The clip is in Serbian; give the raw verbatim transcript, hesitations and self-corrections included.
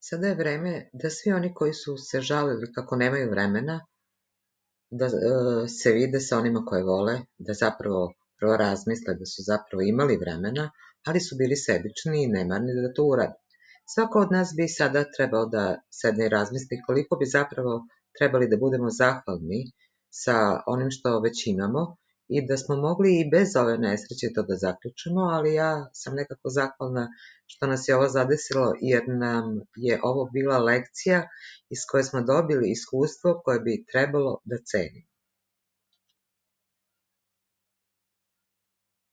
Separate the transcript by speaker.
Speaker 1: Sada je vreme da svi oni koji su se žalili kako nemaju vremena, da e, se vide sa onima koje vole, da zapravo prvo razmisle da su zapravo imali vremena, ali su bili sebični i nemarni da to urade. Svako od nas bi sada trebao da sedne i razmisli koliko bi zapravo trebali da budemo zahvalni sa onim što već imamo i da smo mogli i bez ove nesreće to da zaključimo, ali ja sam nekako zahvalna što nas je ovo zadesilo jer nam je ovo bila lekcija iz koje smo dobili iskustvo koje bi trebalo da cenimo.